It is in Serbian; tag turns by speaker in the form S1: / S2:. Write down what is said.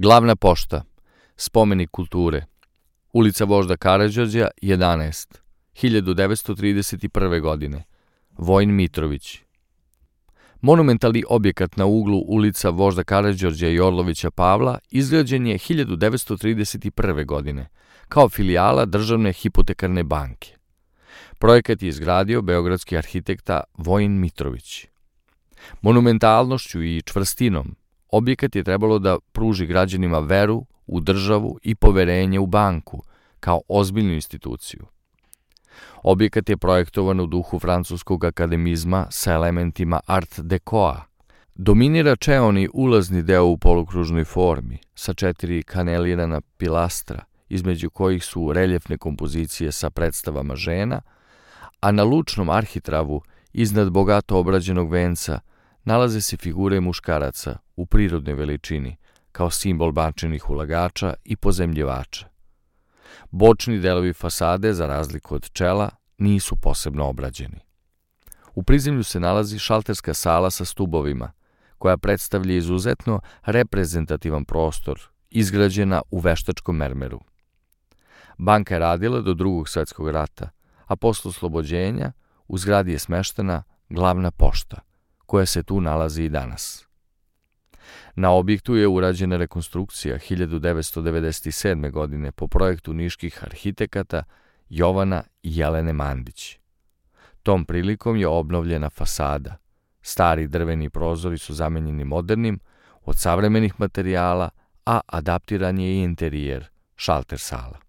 S1: Glavna pošta, spomenik kulture, ulica Vožda Karađorđa, 11, 1931. godine, Vojin Mitrović. Monumentalni objekat na uglu ulica Vožda Karađorđa i Orlovića Pavla izgrađen je 1931. godine kao filijala Državne hipotekarne banke. Projekat je izgradio beogradski arhitekta Vojin Mitrović. Monumentalnošću i čvrstinom objekat je trebalo da pruži građanima veru u državu i poverenje u banku kao ozbiljnu instituciju. Objekat je projektovan u duhu francuskog akademizma sa elementima art decoa. Dominira čeoni ulazni deo u polukružnoj formi sa 4 kanelirana pilastra, između kojih su reljefne kompozicije sa predstavama žena, a na lučnom arhitravu iznad bogato obrađenog venca nalaze se figure muškaraca u prirodnoj veličini, kao simbol bančenih ulagača i pozemljivača. Bočni delovi fasade, za razliku od čela, nisu posebno obrađeni. U prizemlju se nalazi šalterska sala sa stubovima, koja predstavlja izuzetno reprezentativan prostor, izgrađena u veštačkom mermeru. Banka je radila do Drugog svjetskog rata, a posle oslobođenja u zgradi je smeštena glavna pošta, koja se tu nalazi i danas. Na objektu je urađena rekonstrukcija 1997. godine po projektu niških arhitekata Jovana i Jelene Mandić. Tom prilikom je obnovljena fasada. Stari drveni prozori su zamenjeni modernim, od savremenih materijala, a adaptiran je i interijer, šalter sala.